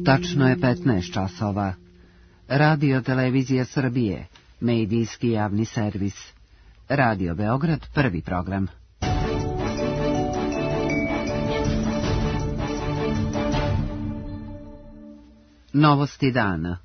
Tačno je 15 časova. Radio Televizija Srbije, medijski javni servis. Radio Beograd, prvi program. Novosti dana.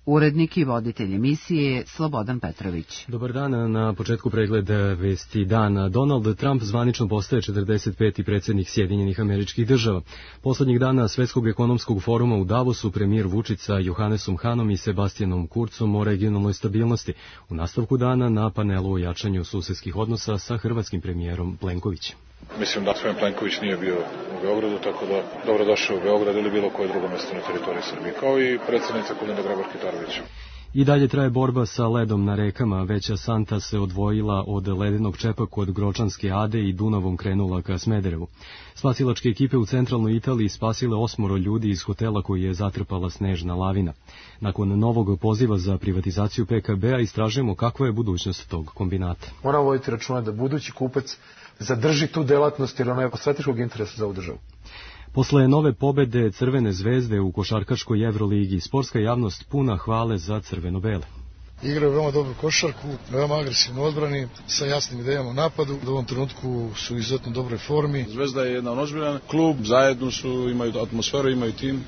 Urednik i voditelj emisije je Slobodan Petrović. Dobar dan, na početku pregled vesti dana. Donald Trump zvanično postaje 45. predsjednik Sjedinjenih Američkih Država. Poslednjih dana Svetskog ekonomskog foruma u Davosu premijer Vučić sa Johannesom Hanom i Sebastianom Kurcom o regionalnoj stabilnosti. U nastavku dana na panelu o jačanju susedskih odnosa sa hrvatskim premijerom Plenkovićem. Mislim da gospodin Plenković nije bio u Beogradu, tako da dobrodošao u Beograd ili bilo koje drugo mesto na teritoriji Srbije, kao i predsjednica Kolinda Grabar-Kitarović. I dalje traje borba sa ledom na rekama. Veća santa se odvojila od ledenog čepa kod Gročanske Ade i Dunavom krenula ka Smederevu. Spasilačke ekipe u centralnoj Italiji spasile 8 ljudi iz hotela koji je zatrpala snežna lavina. Nakon novog poziva za privatizaciju PKB-a istražujemo kakva je budućnost tog kombinata. Moramo voditi računa da budući kupac zadrži tu delatnost jer ona je od strateškog interesa za ovu državu. Posle nove pobede Crvene zvezde u košarkaškoj Evroligi, sportska javnost puna hvale za crveno-bele. Igraju veoma dobru košarku, veoma agresivno odbrani, sa jasnim idejama u napadu. U ovom trenutku su u izuzetno dobroj formi. Zvezda je jedan ozbiljan klub, zajedno su, imaju atmosferu, imaju tim.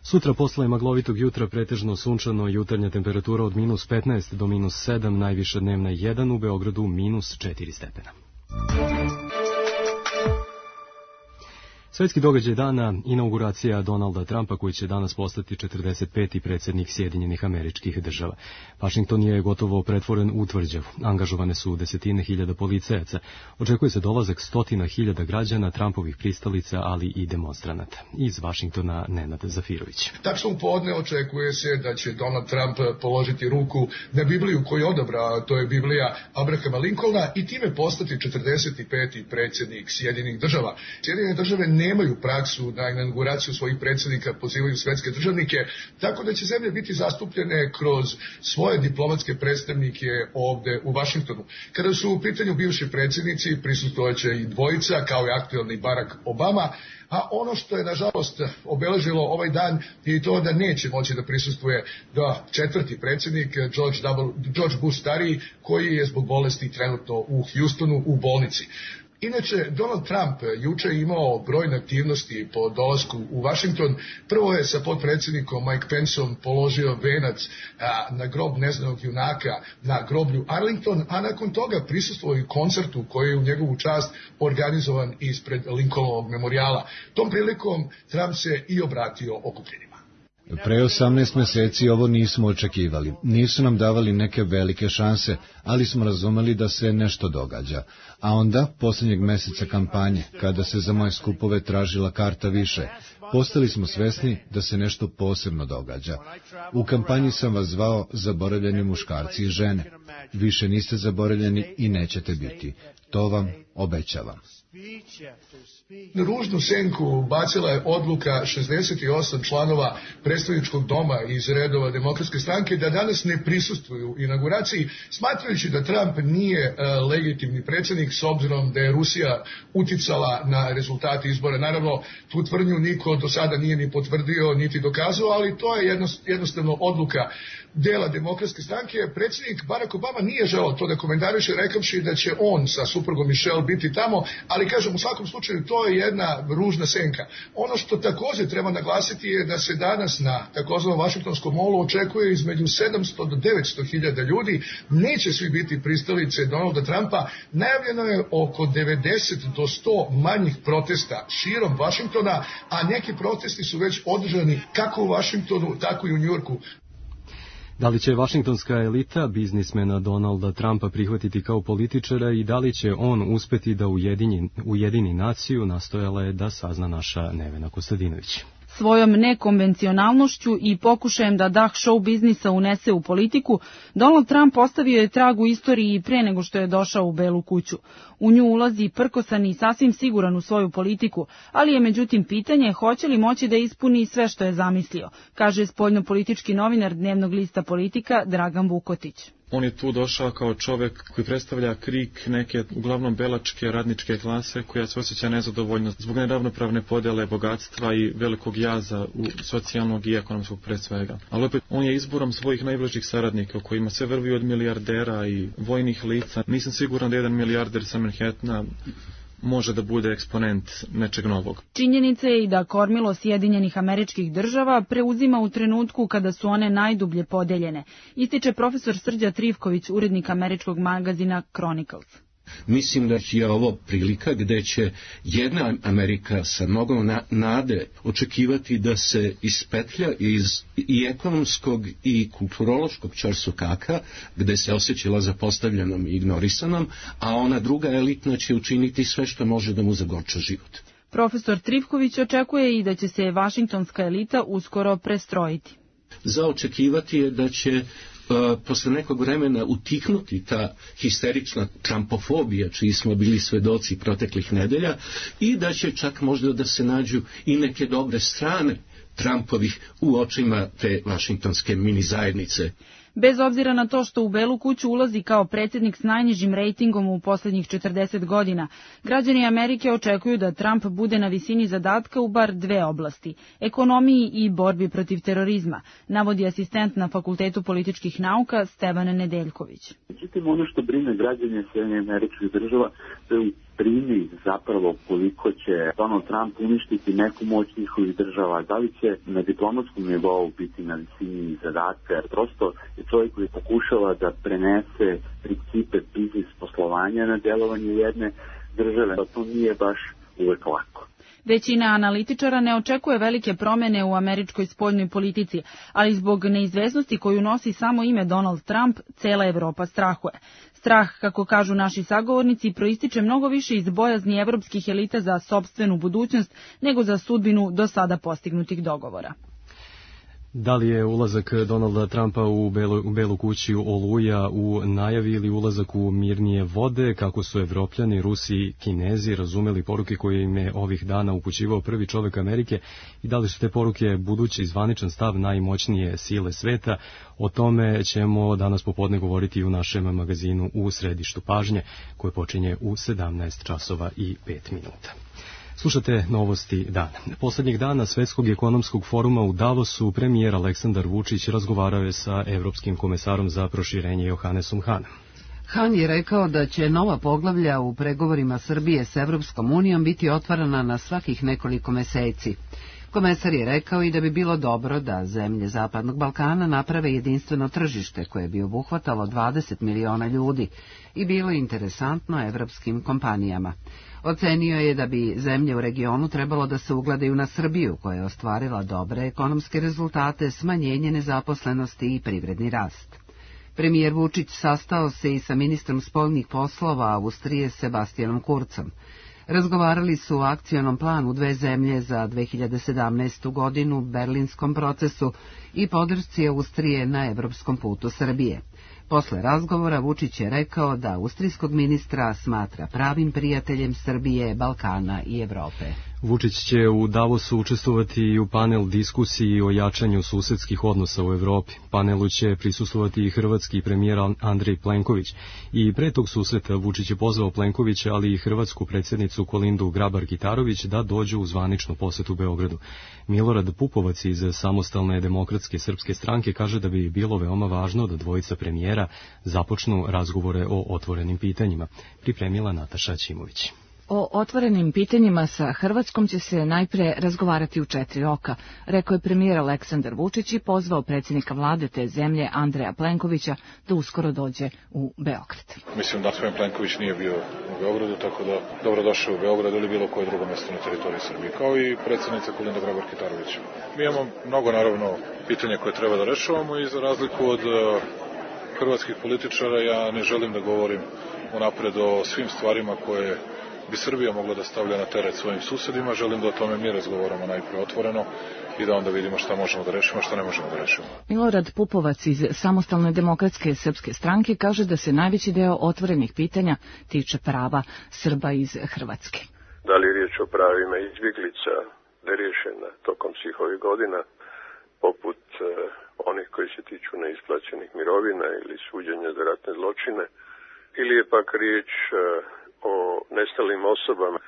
Sutra posle maglovitog jutra pretežno sunčano, jutarnja temperatura od -15 do -7, najviša dnevna 1, u Beogradu -4 stepena. Svetski događaj dana, inauguracija Donalda Trumpa koji će danas postati 45. predsjednik Sjedinjenih Američkih Država. Vašington je gotovo pretvoren u tvrđavu. Angažovane su desetine hiljada policajaca. Očekuje se dolazak 100.000 građana, Trumpovih pristalica, ali i demonstranata. Iz Vašingtona Nenad Zafirović. Tačno u podne očekuje se da će Donald Trump položiti ruku na Bibliju koju odabrao, to je Biblija Abrahama Lincolna, i time postati 45. predsjednik Sjedinjenih Država. Sjedinjene Države nemaju praksu da inauguraciju svojih predsjednika pozivaju svetske državnike, tako da će zemlje biti zastupljene kroz svoje diplomatske predstavnike ovde u Vašingtonu. Kada su u pitanju bivši predsjednici, prisustvojaće i dvojica, kao i aktuelni Barack Obama, a ono što je nažalost obeležilo ovaj dan je to da neće moći da prisustvuje četvrti predsjednik George Bush stariji, koji je zbog bolesti trenutno u Houstonu u bolnici. Inače, Donald Trump juče imao brojne aktivnosti po dolasku u Vašington. Prvo je sa potpredsjednikom Mike Penceom položio venac na grob neznanog junaka na groblju Arlington, a nakon toga prisustvovao i koncertu koji je u njegovu čast organizovan ispred Lincolnovog memorijala. Tom prilikom Trump se i obratio okupljenima. Pre 18 meseci ovo nismo očekivali. Nisu nam davali neke velike šanse, ali smo razumeli da se nešto događa. A onda, posljednjeg meseca kampanje, kada se za moje skupove tražila karta više, postali smo svesni da se nešto posebno događa. U kampanji sam vas zvao zaboravljeni muškarci i žene. Više niste zaboravljeni i nećete biti. To vam obećavam. Ružnu senku bacila je odluka 68 članova predstavničkog doma iz redova Demokratske stranke da danas ne prisustvuju inauguraciji, smatrajući da Trump nije legitimni predsjednik s obzirom da je Rusija uticala na rezultate izbora. Naravno, tu tvrdnju niko do sada nije ni potvrdio niti dokazao, ali to je jednostavno odluka dela Demokratske stranke. Predsjednik Barack Obama nije želeo to da komentariše, rekavši da će on sa suprugom Michelle biti tamo, ali kažem, u svakom slučaju to je jedna ružna senka. Ono što također treba naglasiti je da se danas na takozvanom Vašingtonskom molu očekuje između 700 do 900 hiljada ljudi. Neće svi biti pristalice Donalda Trumpa. Najavljeno je oko 90 do 100 manjih protesta širom Vašingtona, a neki protesti su već održani kako u Vašingtonu, tako i u Njujorku. Da li će vašingtonska elita biznismena Donalda Trumpa prihvatiti kao političara i da li će on uspeti da ujedini naciju, nastojala je da sazna naša Nevena Kostadinović. Svojom nekonvencionalnošću i pokušajem da dah show biznisa unese u politiku, Donald Trump ostavio je trag u istoriji pre nego što je došao u Belu kuću. U nju ulazi prkosan i sasvim siguran u svoju politiku, ali je međutim pitanje hoće li moći da ispuni sve što je zamislio, kaže spoljnopolitički novinar dnevnog lista Politika Dragan Vukotić. On je tu došao kao čovek koji predstavlja krik neke uglavnom belačke radničke klase koja se osjeća nezadovoljno zbog neravnopravne podele bogatstva i velikog jaza u socijalnog i ekonomskog pre svega. Ali opet on je izborom svojih najbližih saradnika u kojima sve vrvi od milijardera i vojnih lica. Nisam siguran da jedan milijarder sa Manhattana može da bude eksponent nečeg novog. Činjenica je i da kormilo Sjedinjenih Američkih Država preuzima u trenutku kada su one najdublje podeljene, ističe profesor Srđa Trivković, urednik američkog magazina Chronicles. Mislim da je ovo prilika gde će jedna Amerika sa mnogo nade očekivati da se ispetlja iz i ekonomskog i kulturološkog ćorsokaka gde se osjećala zapostavljenom i ignorisanom, a ona druga elitna će učiniti sve što može da mu zagorča život. Profesor Trivković očekuje i da će se vašingtonska elita uskoro prestrojiti. Za očekivati je da će posle nekog vremena utihnuti ta histerična trumpofobija čiji smo bili svedoci proteklih nedelja i da će čak možda da se nađu i neke dobre strane Trumpovih u očima te vašingtonske mini zajednice. Bez obzira na to što u Belu kuću ulazi kao predsjednik s najnižim rejtingom u poslednjih 40 godina, građani Amerike očekuju da Trump bude na visini zadatka u bar dve oblasti, ekonomiji i borbi protiv terorizma, navodi asistent na Fakultetu političkih nauka Stevan Nedeljković. Međutim, ono što brine građane Sjedinjenih Američkih Država, to je brine zapravo koliko će Donald Trump uništiti neku moć njihovih država, da li će na diplomatskom nivou biti na visini zadatka, jer prosto je čovjek koji pokušava da prenese principe biznis poslovanja na djelovanje jedne države, a to nije baš uvek lako. Većina analitičara ne očekuje velike promjene u američkoj spoljnoj politici, ali zbog neizvesnosti koju nosi samo ime Donald Trump, cela Evropa strahuje. Strah, kako kažu naši sagovornici, proističe mnogo više iz bojazni evropskih elita za sopstvenu budućnost nego za sudbinu do sada postignutih dogovora. Da li je ulazak Donalda Trumpa u Belu kuću oluja u najavi ili ulazak u mirnije vode, kako su Evropljani, Rusi i Kinezi razumeli poruke koje im je ovih dana upućivao prvi čovjek Amerike i da li su te poruke budući zvaničan stav najmoćnije sile sveta, o tome ćemo danas popodne govoriti u našem magazinu U središtu pažnje, koje počinje u 17 časova i 5 minuta. Slušate novosti dana. Poslednjeg dana Svetskog ekonomskog foruma u Davosu premijer Aleksandar Vučić razgovarao je sa Evropskim komesarom za proširenje Johannesom Hanom. Han je rekao da će nova poglavlja u pregovorima Srbije s Evropskom unijom biti otvarana na svakih nekoliko meseci. Komesar je rekao i da bi bilo dobro da zemlje Zapadnog Balkana naprave jedinstveno tržište koje bi obuhvatalo 20 miliona ljudi i bilo interesantno evropskim kompanijama. Ocenio je da bi zemlje u regionu trebalo da se ugledaju na Srbiju, koja je ostvarila dobre ekonomske rezultate, smanjenje nezaposlenosti i privredni rast. Premijer Vučić sastao se i sa ministrom spoljnih poslova Austrije Sebastianom Kurzom. Razgovarali su o akcionom planu dve zemlje za 2017. godinu, berlinskom procesu i podršci Austrije na evropskom putu Srbije. Posle razgovora Vučić je rekao da austrijskog ministra smatra pravim prijateljem Srbije, Balkana i Evrope. Vučić će u Davosu učestvovati i u panel diskusiji o jačanju susedskih odnosa u Evropi. Panelu će prisustvovati i hrvatski premijer Andrej Plenković. I pre tog susreta Vučić je pozvao Plenkovića, ali i hrvatsku predsjednicu Kolindu Grabar-Kitarović da dođu u zvaničnu posetu Beogradu. Milorad Pupovac iz Samostalne demokratske srpske stranke kaže da bi bilo veoma važno da dvojica premijera započnu razgovore o otvorenim pitanjima. Pripremila Nataša Ćimović. O otvorenim pitanjima sa Hrvatskom će se najpre razgovarati u 4 oka, rekao je premijer Aleksandar Vučić i pozvao predsjednika vlade te zemlje Andreja Plenkovića da uskoro dođe u Beograd. Mislim da gospodin Plenković nije bio u Beogradu, tako da dobrodošao u Beograd ili bilo koje drugo mjesto na teritoriji Srbije, kao i predsjednica Kolinda Grabar-Kitarović. Mi imamo mnogo, naravno, pitanja koje treba da rešavamo i za razliku od hrvatskih političara ja ne želim da govorim unapred o svim stvarima koje bi Srbija mogla da stavlja na teret svojim susedima. Želim da o tome mi razgovaramo najpre otvoreno i da onda vidimo šta možemo da rešimo, šta ne možemo da rešimo. Milorad Pupovac iz Samostalne demokratske srpske stranke kaže da se najveći deo otvorenih pitanja tiče prava Srba iz Hrvatske. Da li je riječ o pravima izbjeglica neriješena tokom svih ovih godina, poput onih koji se tiču neisplaćenih mirovina ili suđenja za ratne zločine, ili je pak riječ o nestalim osobama,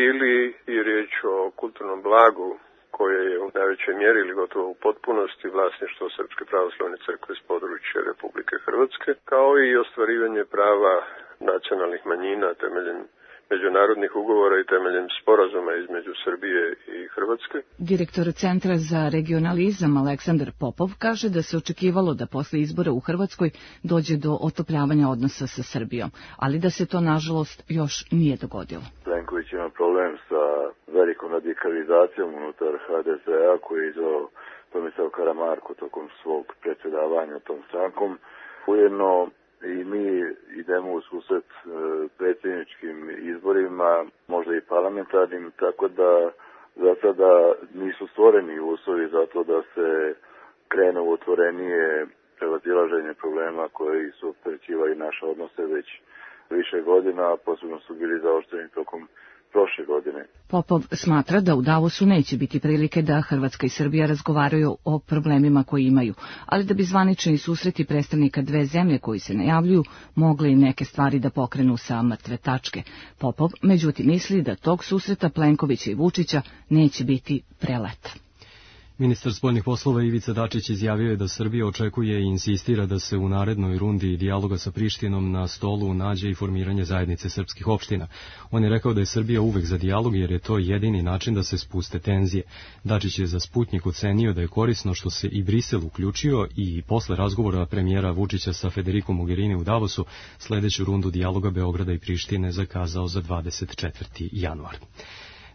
ili je riječ o kulturnom blagu koje je u najvećoj mjeri ili gotovo u potpunosti vlasništvo Srpske pravoslavne crkve s područja Republike Hrvatske, kao i ostvarivanje prava nacionalnih manjina temeljem međunarodnih ugovora i temeljem sporazuma između Srbije i Hrvatske. Direktor Centra za regionalizam Aleksandar Popov kaže da se očekivalo da posle izbora u Hrvatskoj dođe do otopljavanja odnosa sa Srbijom, ali da se to nažalost još nije dogodilo. Plenković ima problem sa velikom radikalizacijom unutar HDZ-a koji je izvao Tomislav Karamarko tokom svog predsjedavanja tom strankom. Ujedno i mi idemo u susret predsjedničkim izborima, možda i parlamentarnim, tako da za sada nisu stvoreni uslovi za to da se krene u otvorenije prevazilaženje problema koji su opterećivali naše odnose već više godina, a posebno su bili zaoštreni tokom prošle godine. Popov smatra da u Davosu neće biti prilike da Hrvatska i Srbija razgovaraju o problemima koji imaju, ali da bi zvanični susreti predstavnika dve zemlje koji se najavljuju mogli neke stvari da pokrenu sa mrtve tačke. Popov međutim misli da tog susreta Plenkovića i Vučića neće biti prelet. Ministar spoljnih poslova Ivica Dačić izjavio je da Srbija očekuje i insistira da se u narednoj rundi dijaloga sa Prištinom na stolu nađe i formiranje zajednice srpskih opština. On je rekao da je Srbija uvek za dijalog jer je to jedini način da se spuste tenzije. Dačić je za Sputnjik ocenio da je korisno što se i Brisel uključio i posle razgovora premijera Vučića sa Federico Mogherini u Davosu sledeću rundu dijaloga Beograda i Prištine zakazao za 24. januar.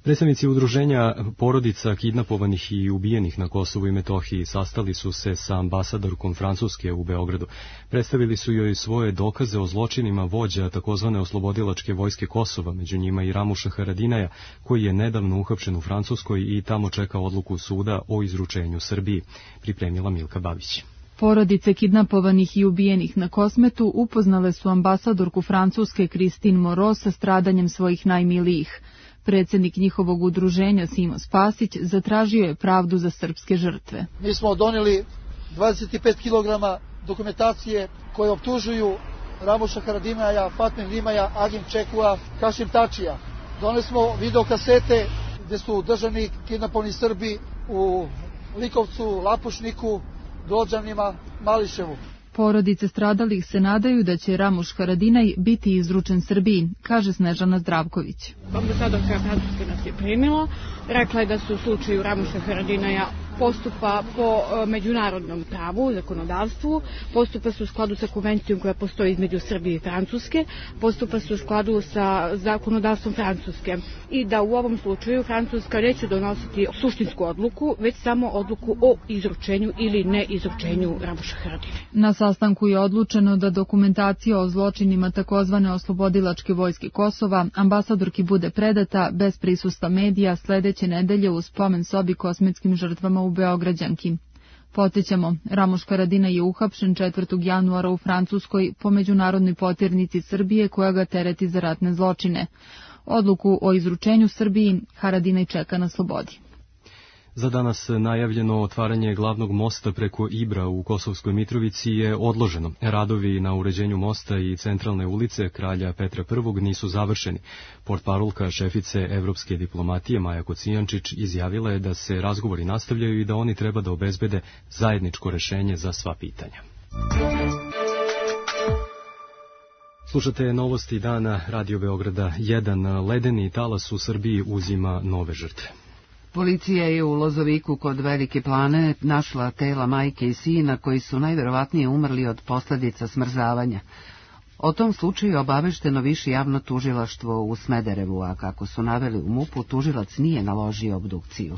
Predstavnici udruženja porodica kidnapovanih i ubijenih na Kosovu i Metohiji sastali su se sa ambasadorkom Francuske u Beogradu. Predstavili su joj svoje dokaze o zločinima vođa takozvane oslobodilačke vojske Kosova, među njima i Ramuša Haradinaja, koji je nedavno uhapšen u Francuskoj i tamo čeka odluku suda o izručenju Srbiji, pripremila Milka Babić. Porodice kidnapovanih i ubijenih na Kosmetu upoznale su ambasadorku Francuske Christine Moreau sa stradanjem svojih najmilijih. Predsjednik njihovog udruženja Simo Spasić zatražio je pravdu za srpske žrtve. Mi smo donijeli 25 kg dokumentacije koje optužuju Ramuša Haradinaja, Fatme Limaja, Agim Čekua, Kašim Tačija. Donijeli smo videokasete gdje su držani kidnapovani Srbi u Likovcu, Lapušniku, Grođanima, Mališevu. Porodice stradalih se nadaju da će Ramuš Haradinaj biti izručen Srbiji, kaže Snežana Zdravković. Ambasadorka Francuske nas je primila, rekla je da se u slučaju Ramuša Haradinaja postupa po međunarodnom pravu, zakonodavstvu, postupa se u skladu sa konvencijom koja postoji između Srbije i Francuske, postupa se u skladu sa zakonodavstvom Francuske i da u ovom slučaju Francuska neće donositi suštinsku odluku, već samo odluku o izručenju ili neizručenju Ramuša Haradinaja. Na sastanku je odlučeno da dokumentacija o zločinima takozvane oslobodilačke vojske Kosova ambasadorki bude predata bez prisustva medija sledeće nedelje u spomen sobi kosmetskim žrtvama u Beograđanki. Podsjećamo, Ramuš Haradinaj je uhapšen 4. januara u Francuskoj po međunarodnoj poternici Srbije koja ga tereti za ratne zločine. Odluku o izručenju Srbiji Haradinaj čeka na slobodi. Za danas najavljeno otvaranje glavnog mosta preko Ibra u Kosovskoj Mitrovici je odloženo. Radovi na uređenju mosta i centralne ulice Kralja Petra I nisu završeni. Portparolka šefice evropske diplomatije Maja Kocijančić izjavila je da se razgovori nastavljaju i da oni treba da obezbede zajedničko rešenje za sva pitanja. Slušate novosti dana Radio Beograda 1. Ledeni talas u Srbiji uzima nove žrtve. Policija je u Lozoviku kod Velike Plane našla tela majke i sina koji su najverovatnije umrli od posljedica smrzavanja. O tom slučaju obavešteno Više javno tužilaštvo u Smederevu, a kako su naveli u MUP-u, tužilac nije naložio obdukciju.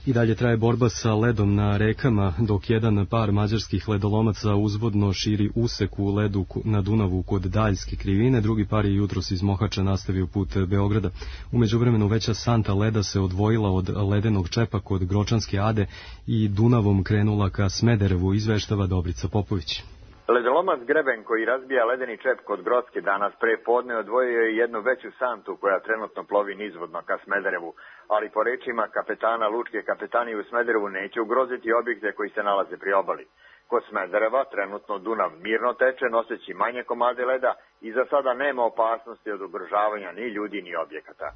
I dalje traje borba sa ledom na rekama, dok jedan par mađarskih ledolomaca uzvodno širi usek u ledu na Dunavu kod Daljske krivine, drugi par je jutros iz Mohača nastavio put Beograda. U međuvremenu veća santa leda se odvojila od ledenog čepa kod Gročanske Ade i Dunavom krenula ka Smederevu, izveštava Dobrica Popović. Ledolomac Greben koji razbija ledeni čep kod Grocke danas pre podne odvojio je jednu veću santu koja trenutno plovi nizvodno ka Smederevu, ali po rečima kapetana Lučke kapetanije u Smederevu neće ugroziti objekte koji se nalaze pri obali. Kod Smedereva trenutno Dunav mirno teče noseći manje komade leda i za sada nema opasnosti od ugrožavanja ni ljudi ni objekata.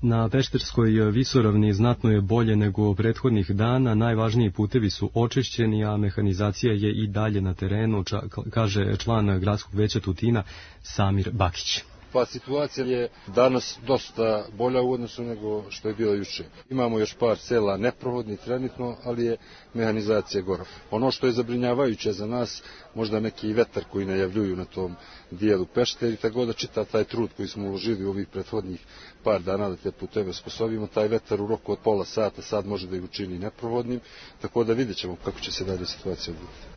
Na Pešterskoj visoravni znatno je bolje nego prethodnih dana, najvažniji putevi su očišćeni, a mehanizacija je i dalje na terenu, kaže član gradskog veća Tutina Samir Bakić. Pa situacija je danas dosta bolja u odnosu nego što je bilo juče. Imamo još par sela neprohodnih trenutno, ali je mehanizacija gora. Ono što je zabrinjavajuće za nas, možda neki vetar koji najavljuju na tom dijelu Pešteri, tako da čita taj trud koji smo uložili u ovih prethodnih par dana da te puteve osposobimo, taj vetar u roku od pola sata sad može da ih učini neprohodnim, tako da vidjet ćemo kako će se dalje situacija odvijati.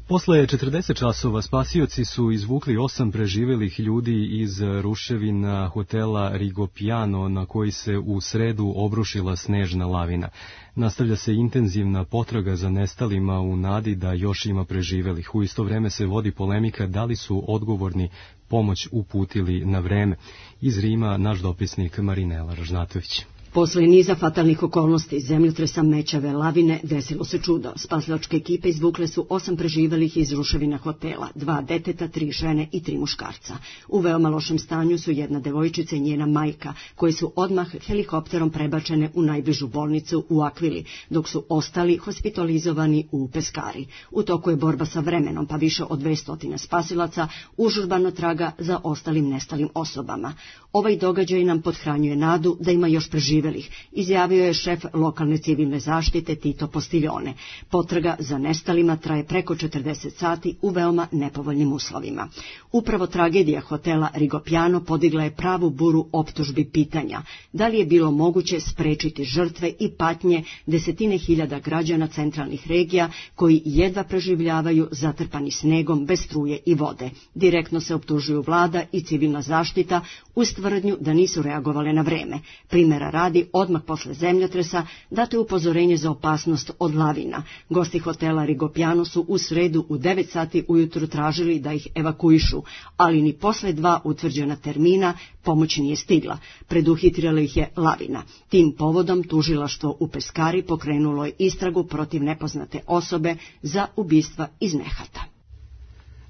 Posle 40 časova spasioci su izvukli 8 preživelih ljudi iz ruševina hotela Rigopiano na koji se u sredu obrušila snežna lavina. Nastavlja se intenzivna potraga za nestalima u nadi da još ima preživelih. U isto vreme se vodi polemika da li su odgovorni pomoć uputili na vreme. Iz Rima naš dopisnik Marinela Ražnatović. Posle niza fatalnih okolnosti, zemljotresa, mećave, lavine, desilo se čudo. Spasilačke ekipe izvukle su 8 preživelih iz ruševina hotela, 2 deteta, 3 žene i 3 muškarca. U veoma lošem stanju su jedna devojčica i njena majka, koje su odmah helikopterom prebačene u najbližu bolnicu u Akvili, dok su ostali hospitalizovani u Peskari. U toku je borba sa vremenom, pa više od 200 spasilaca užurbano traga za ostalim nestalim osobama. Ovaj događaj nam pothranjuje nadu da ima još preživelih, izjavio je šef lokalne civilne zaštite Tito Postiljone. Potraga za nestalima traje preko 40 sati u veoma nepovoljnim uslovima. Upravo tragedija hotela Rigopiano podigla je pravu buru optužbi pitanja. Da li je bilo moguće sprečiti žrtve i patnje desetine hiljada građana centralnih regija koji jedva preživljavaju zatrpani snegom bez struje i vode? Direktno se optužuju vlada i civilna zaštita uz tvrdnju da nisu reagovale na vreme. Primjera radi, odmah posle zemljotresa dato je upozorenje za opasnost od lavina. Gosti hotela Rigopiano su u sredu u 9 sati ujutru tražili da ih evakuišu, ali ni posle 2 utvrđena termina pomoć nije stigla. Preduhitrila ih je lavina. Tim povodom tužilaštvo u Peskari pokrenulo je istragu protiv nepoznate osobe za ubistva iz nehata.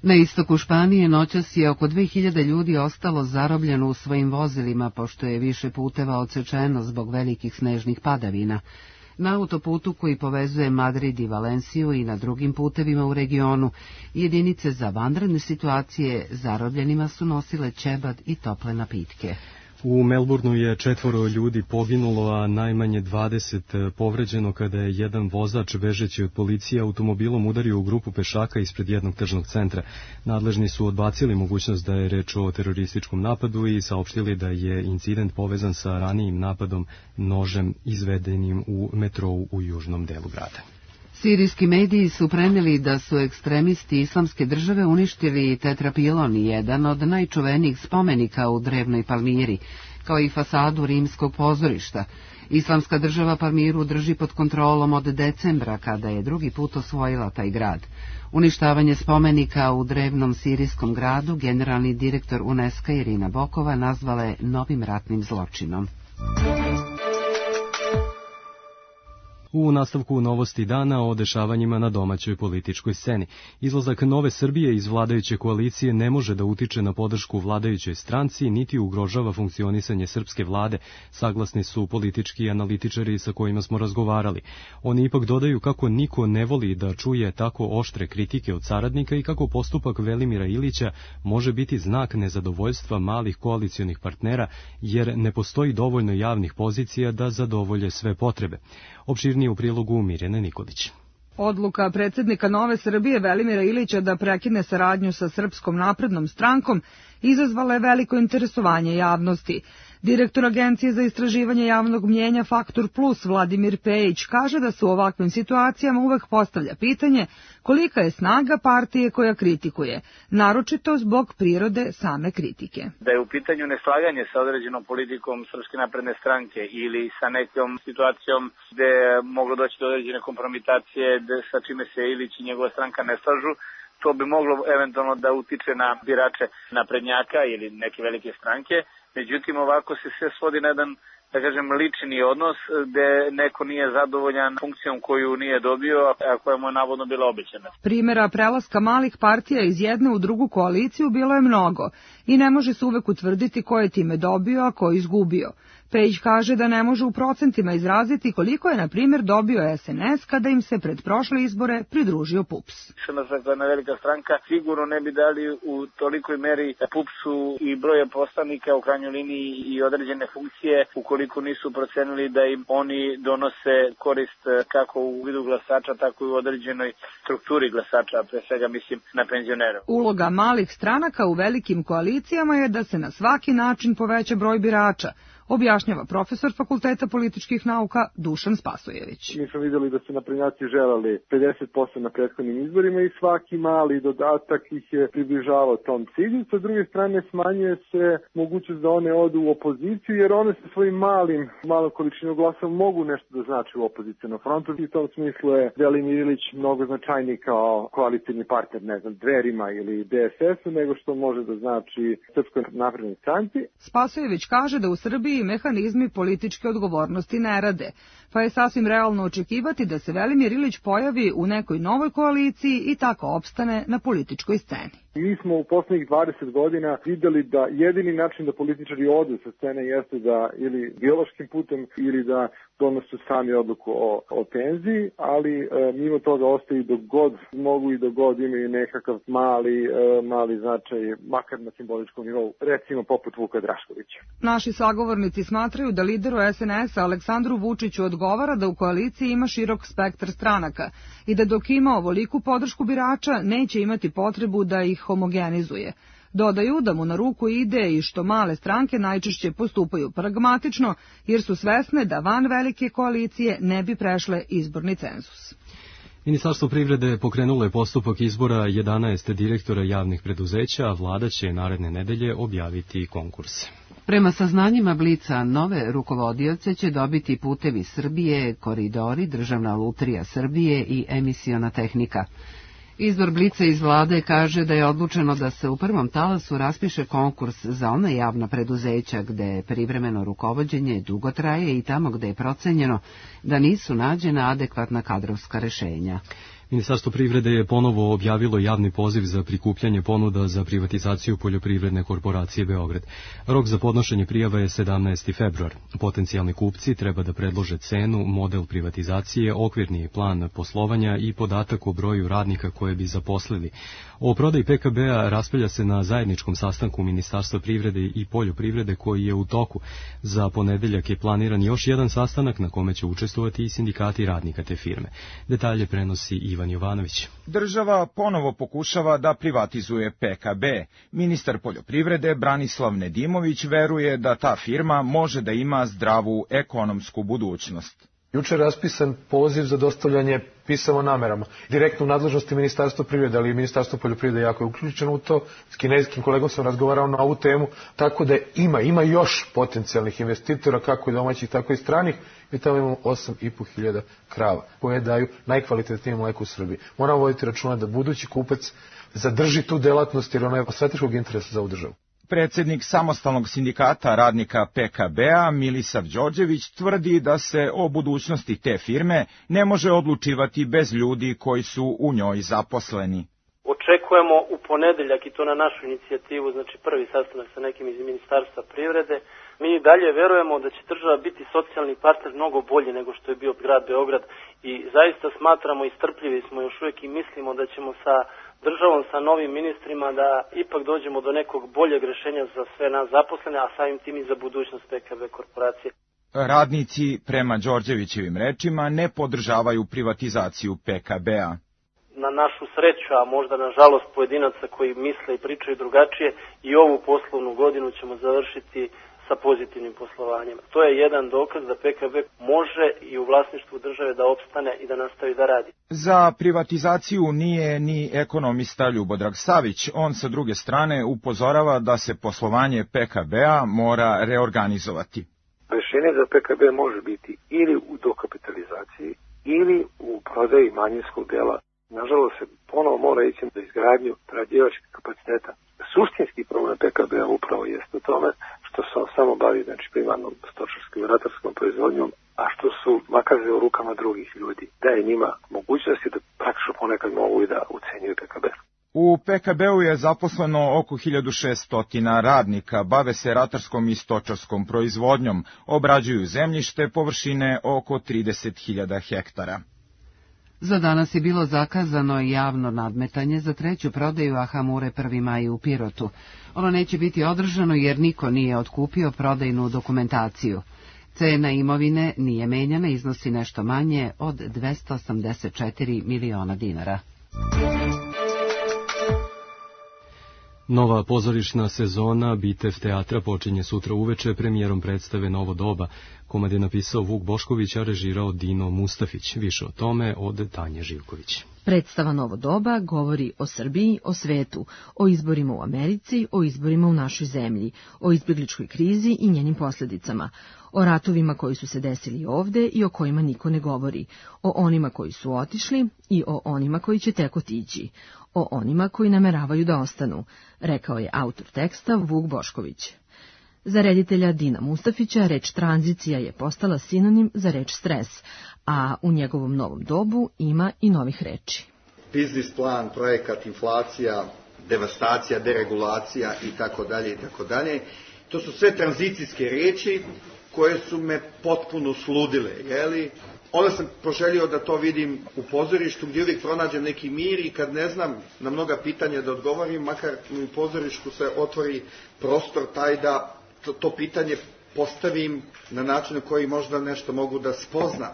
Na istoku Španije noćas je oko 2000 ljudi ostalo zarobljeno u svojim vozilima, pošto je više puteva odsečeno zbog velikih snežnih padavina. Na autoputu koji povezuje Madrid i Valenciju i na drugim putevima u regionu, jedinice za vanredne situacije zarobljenima su nosile ćebad i tople napitke. U Melbourneu je 4 ljudi poginulo, a najmanje 20 povređeno kada je jedan vozač bežeći od policije automobilom udario u grupu pešaka ispred jednog tržnog centra. Nadležni su odbacili mogućnost da je reč o terorističkom napadu i saopštili da je incident povezan sa ranijim napadom nožem izvedenim u metrou u južnom delu grada. Sirijski mediji su preneli da su ekstremisti Islamske države uništili Tetrapilon, jedan od najčuvenijih spomenika u drevnoj Palmiri, kao i fasadu rimskog pozorišta. Islamska država Palmiru drži pod kontrolom od decembra, kada je drugi put osvojila taj grad. Uništavanje spomenika u drevnom sirijskom gradu generalni direktor UNESCO Irina Bokova nazvala je novim ratnim zločinom. U nastavku novosti dana o dešavanjima na domaćoj političkoj sceni. Izlazak Nove Srbije iz vladajuće koalicije ne može da utiče na podršku vladajućoj stranci, niti ugrožava funkcionisanje srpske vlade, saglasni su politički analitičari sa kojima smo razgovarali. Oni ipak dodaju kako niko ne voli da čuje tako oštre kritike od saradnika i kako postupak Velimira Ilića može biti znak nezadovoljstva malih koalicionih partnera, jer ne postoji dovoljno javnih pozicija da zadovolje sve potrebe. Opširnije u prilogu Mirjane Nikolić. Odluka predsjednika Nove Srbije Velimira Ilića da prekine saradnju sa Srpskom naprednom strankom izazvala je veliko interesovanje javnosti. Direktor Agencije za istraživanje javnog mnjenja Faktor Plus Vladimir Pejić kaže da se u ovakvim situacijama uvek postavlja pitanje kolika je snaga partije koja kritikuje, naročito zbog prirode same kritike. Da je u pitanju neslaganje sa određenom politikom Srpske napredne stranke ili sa nekom situacijom gde je moglo doći do određene kompromitacije sa čime se Ilić i njegova stranka ne slažu, to bi moglo eventualno da utiče na birače naprednjaka ili neke velike stranke. Međutim, ovako se sve svodi na jedan, da kažem, lični odnos gde neko nije zadovoljan funkcijom koju nije dobio, a koja mu je navodno bila obećana. Primjera prelaska malih partija iz jedne u drugu koaliciju bilo je mnogo i ne može se uvek utvrditi ko je time dobio, a ko izgubio. Pejić kaže da ne može u procentima izraziti koliko je, na primjer, dobio SNS kada im se pred prošle izbore pridružio PUPS. SNS je jedna velika stranka, sigurno ne bi dali u tolikoj meri PUPS-u i broje poslanika u krajnjoj liniji i određene funkcije ukoliko nisu procenili da im oni donose korist kako u vidu glasača, tako i u određenoj strukturi glasača, pre svega mislim na penzionere. Uloga malih stranaka u velikim koalicijama je da se na svaki način poveća broj birača, objašnjava profesor Fakulteta političkih nauka Dušan Spasojević. Mi smo vidjeli da su naprednjaci želeli 50% na prethodnim izborima i svaki mali dodatak ih je približavao tom cilju. Sa druge strane smanjuje se mogućnost da one odu u opoziciju jer one sa svojim malom količinom glasa mogu nešto da znači u opozicionom frontu. I u tom smislu je Velimir Ilić mnogo značajniji kao koalicijni partner, ne znam, Dverima ili DSS-u, nego što može da znači Srpskoj naprednoj stranci. Spasojević kaže da u Srbiji mehanizmi političke odgovornosti ne rade, pa je sasvim realno očekivati da se Velimir Ilić pojavi u nekoj novoj koaliciji i tako opstane na političkoj sceni. Mi smo u poslednjih 20 godina videli da jedini način da političari odu sa scene jeste da ili biološkim putem ili da donose sami odluku o penziji, ali mimo toga ostaju dok god mogu i dok god imaju nekakav mali značaj, makar na simboličkom nivou, recimo poput Vuka Draškovića. Naši sagovornici smatraju da lideru SNS-a Aleksandru Vučiću odgovara da u koaliciji ima širok spektar stranaka i da dok ima ovoliku podršku birača neće imati potrebu da ih homogenizuje. Dodaju da mu na ruku ide i što male stranke najčešće postupaju pragmatično jer su svesne da van velike koalicije ne bi prešle izborni cenzus. Ministarstvo privrede pokrenulo je postupak izbora 11 direktora javnih preduzeća, a vlada će naredne nedelje objaviti konkurse. Prema saznanjima Blica, nove rukovodioce će dobiti Putevi Srbije, Koridori, Državna lutrija Srbije i Emisiona tehnika. Izvor Blica iz vlade kaže da je odlučeno da se u prvom talasu raspiše konkurs za ona javna preduzeća gde privremeno rukovođenje dugo traje i tamo gde je procenjeno da nisu nađena adekvatna kadrovska rešenja. Ministarstvo privrede je ponovo objavilo javni poziv za prikupljanje ponuda za privatizaciju Poljoprivredne korporacije Beograd. Rok za podnošenje prijava je 17. februar. Potencijalni kupci treba da predlože cenu, model privatizacije, okvirni plan poslovanja i podatak o broju radnika koje bi zaposlili. O prodaji PKB-a raspravlja se na zajedničkom sastanku Ministarstva privrede i poljoprivrede koji je u toku. Za ponedeljak je planiran još jedan sastanak na kome će učestvovati i sindikati radnika te firme. Detalje prenosi Ivan Jovanović. Država ponovo pokušava da privatizuje PKB. Ministar poljoprivrede Branislav Nedimović veruje da ta firma može da ima zdravu ekonomsku budućnost. Juče je raspisan poziv za dostavljanje pisama o namerama. Direktno u nadležnosti Ministarstva privrede, ali i Ministarstvo poljoprivrede jako je uključeno u to. S kineskim kolegom sam razgovarao na ovu temu, tako da ima još potencijalnih investitora, kako i domaćih, tako i stranih. Mi tamo imamo 8.500 krava koje daju najkvalitetnije mleko u Srbiji. Moramo voditi računa da budući kupac zadrži tu delatnost jer ona je od strateškog interesa za ovu državu. Predsjednik samostalnog sindikata radnika PKB-a Milisav Đorđević tvrdi da se o budućnosti te firme ne može odlučivati bez ljudi koji su u njoj zaposleni. Očekujemo u ponedeljak i to na našu inicijativu, znači prvi sastanak sa nekim iz Ministarstva privrede. Mi dalje verujemo da će država biti socijalni partner mnogo bolji nego što je bio grad Beograd i zaista smatramo i strpljivi smo još uvijek i mislimo da ćemo sa državom, sa novim ministrima da ipak dođemo do nekog boljeg rješenja za sve nas zaposlene, a samim tim i za budućnost PKB korporacije. Radnici, prema Đorđevićevim rečima, ne podržavaju privatizaciju PKB-a. Na našu sreću, a možda na žalost pojedinaca koji misle i pričaju drugačije, i ovu poslovnu godinu ćemo završiti sa pozitivnim poslovanjem. To je jedan dokaz da PKB može i u vlasništvu države da opstane i da nastavi da radi. Za privatizaciju nije ni ekonomista Ljubodrag Savić. On sa druge strane upozorava da se poslovanje PKB-a mora reorganizovati. Rešenje za PKB može biti ili u dokapitalizaciji ili u prodaji manjinskog dela. Nažalost se ponovo mora ići na izgradnju prerađivačkih kapaciteta. Suštinski problem PKB-a upravo jeste u tome što se on samo bavi primarnom stočarskom i ratarskom proizvodnjom, a što su makaze u rukama drugih ljudi. Daje njima mogućnosti da praktično ponekad mogu i da ucenjuju PKB. U PKB-u je zaposleno oko 1600 radnika, bave se ratarskom i stočarskom proizvodnjom, obrađuju zemljište površine oko 30.000 hektara. Za danas je bilo zakazano javno nadmetanje za treću prodaju Ahamure 1. maj u Pirotu. Ono neće biti održano jer niko nije otkupio prodajnu dokumentaciju. Cena imovine nije menjana, iznosi nešto manje od 284 miliona dinara. Nova pozorišna sezona Bitev teatra počinje sutra uveče premijerom predstave Novo doba. Komad je napisao Vuk Bošković, a režirao Dino Mustafić. Više o tome od Tanje Živković. Predstava Novo doba govori o Srbiji, o svetu, o izborima u Americi, o izborima u našoj zemlji, o izbjegličkoj krizi i njenim posljedicama, o ratovima koji su se desili ovde i o kojima niko ne govori, o onima koji su otišli i o onima koji će tek otići, o onima koji nameravaju da ostanu, rekao je autor teksta Vuk Bošković. Za reditelja Dina Mustafića reč tranzicija je postala sinonim za reč stres, a u njegovom novom dobu ima i novih reči. Biznis plan, projekat, inflacija, devastacija, deregulacija itd. To su sve tranzicijske riječi koje su me potpuno sludile, jeli? Onda sam poželio da to vidim u pozorištu gdje uvijek pronađem neki mir i kad ne znam na mnoga pitanja da odgovorim, makar u pozorištu se otvori prostor taj da to pitanje postavim na način na koji možda nešto mogu da spoznam.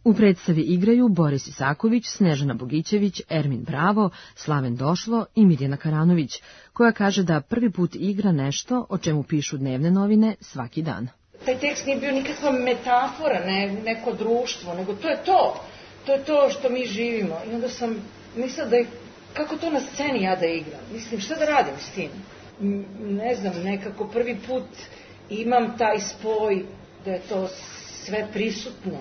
U predstavi igraju Boris Isaković, Snežana Bogićević, Ermin Bravo, Slaven Došlo i Mirjana Karanović, koja kaže da prvi put igra nešto o čemu pišu dnevne novine svaki dan. Taj tekst nije bio nikakva metafora, neko društvo, nego to je to. To je to što mi živimo. I onda sam mislila da je, kako to na sceni ja da igram? Mislim, šta da radim s tim? Ne znam, nekako prvi put imam taj spoj da je to sve prisutno.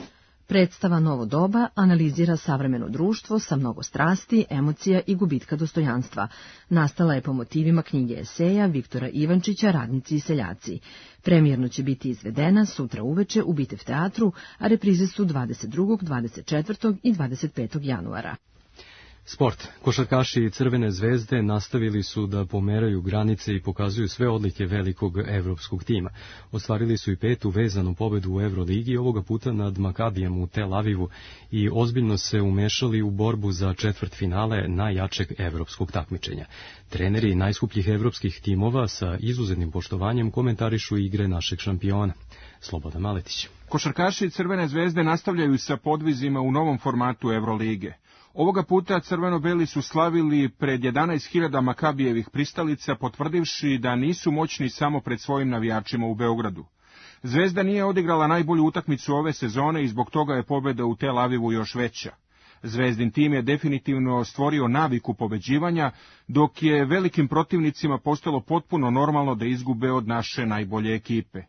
Predstava Novo doba analizira savremeno društvo sa mnogo strasti, emocija i gubitka dostojanstva. Nastala je po motivima knjige eseja Viktora Ivančića Radnici i seljaci. Premijerno će biti izvedena sutra uveče u Bitev teatru, a reprize su 22., 24. i 25. januara. Sport. Košarkaši Crvene zvezde nastavili su da pomeraju granice i pokazuju sve odlike velikog evropskog tima. Ostvarili su i 5. vezanu pobedu u Euroligi, ovoga puta nad Makabijem u Tel Avivu, i ozbiljno se umešali u borbu za četvrtfinale najjačeg evropskog takmičenja. Treneri najskupljih evropskih timova sa izuzetnim poštovanjem komentarišu igre našeg šampiona. Slobodan Maletić. Košarkaši Crvene zvezde nastavljaju sa podvizima u novom formatu Evrolige. Ovoga puta crveno-beli su slavili pred 11.000 Makabijevih pristalica, potvrdivši da nisu moćni samo pred svojim navijačima u Beogradu. Zvezda nije odigrala najbolju utakmicu ove sezone i zbog toga je pobjeda u Tel Avivu još veća. Zvezdin tim je definitivno stvorio naviku pobeđivanja, dok je velikim protivnicima postalo potpuno normalno da izgube od naše najbolje ekipe.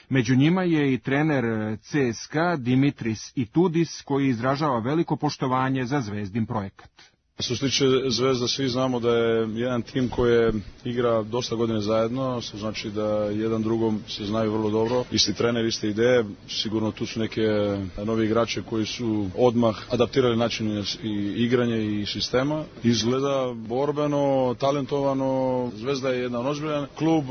Među njima je i trener CSKA Dimitris Itudis, koji izražava veliko poštovanje za Zvezdin projekat. Što se tiče Zvezda, svi znamo da je jedan tim koji igra dosta godine zajedno, što znači da jedan drugom se znaju vrlo dobro, isti trener, iste ideje, sigurno tu su neke novi igrače koji su odmah adaptirali način i igranje i sistema. Izgleda borbeno, talentovano, Zvezda je jedan ozbiljan klub,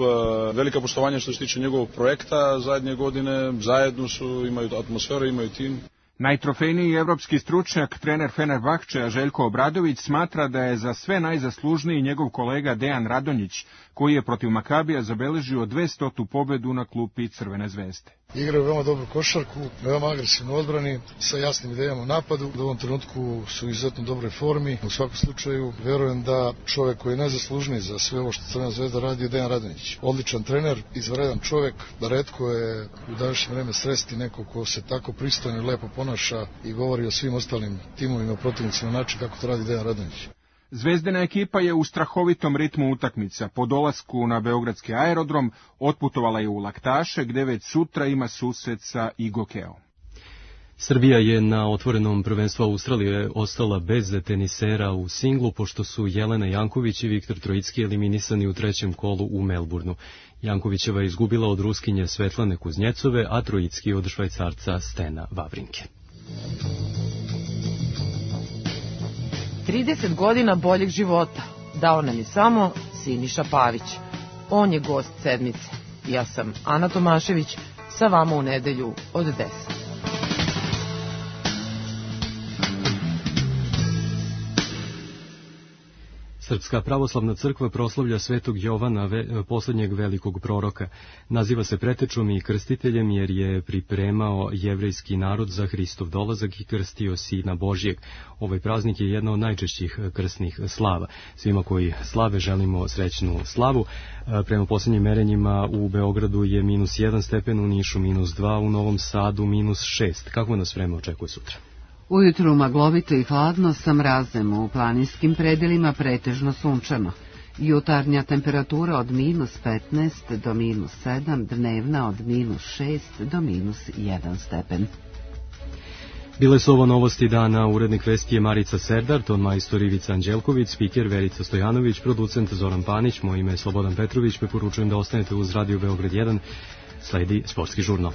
velika poštovanja što se tiče njegovog projekta zadnje godine, zajedno su, imaju atmosferu, imaju tim. Najtrofejniji evropski stručnjak, trener Fenerbahčeja Željko Obradović, smatra da je za sve najzaslužniji njegov kolega Dejan Radonjić, koji je protiv Makabija zabeležio 200. pobedu na klupi Crvene zvezde. Igraju veoma dobru košarku, veoma agresivnu odbrani, sa jasnim idejama u napadu. U ovom trenutku su u izuzetno dobroj formi. U svakom slučaju, verujem da čovek koji je najzaslužniji za sve ovo što Crvena Zvezda radi je Dejan Radonjić. Odličan trener, izvanredan čovek, da retko je u današnje vreme sresti neko ko se tako pristojno i lepo ponaša i govori o svim ostalim timovima, protivnicima na način kako to radi Dejan Radonjić. Zvezdina ekipa je u strahovitom ritmu utakmica. Po dolasku na beogradski aerodrom otputovala je u Laktaše, gde već sutra ima susret sa Igokeom. Srbija je na otvorenom prvenstvu Australije ostala bez tenisera u singlu, pošto su Jelena Janković i Viktor Trojicki eliminisani u trećem kolu u Melbourneu. Jankovićeva je izgubila od Ruskinje Svetlane Kuznjecove, a Trojicki od Švajcarca Stena Wawrinke. 30 godina boljeg života dao nam je samo Siniša Pavić. On je gost sedmice. Ja sam Ana Tomašević, sa vama u nedelju od 10. Srpska pravoslavna crkva proslavlja Svetog Jovana, posljednjeg velikog proroka. Naziva se pretečom i krstiteljem jer je pripremao jevrejski narod za Hristov dolazak i krstio Sina Božjeg. Ovaj praznik je jedna od najčešćih krstnih slava. Svima koji slave želimo srećnu slavu. Prema posljednjim merenjima u Beogradu je -1 stepen, u Nišu -2, u Novom Sadu -6. Kako nas vreme očekuje sutra? Ujutru maglovito i hladno sa mrazem, u planinskim predelima pretežno sunčano. Jutarnja temperatura od -15 do -7, dnevna od -6 do -1 stepen. Bile su ovo novosti dana, urednik vesti je Marica Serdar, ton majstor Ivica Anđelković, spiker Verica Stojanović, producent Zoran Panić, moje ime je Slobodan Petrović, preporučujem da ostanete uz Radio Beograd 1, sledi sportski žurnal.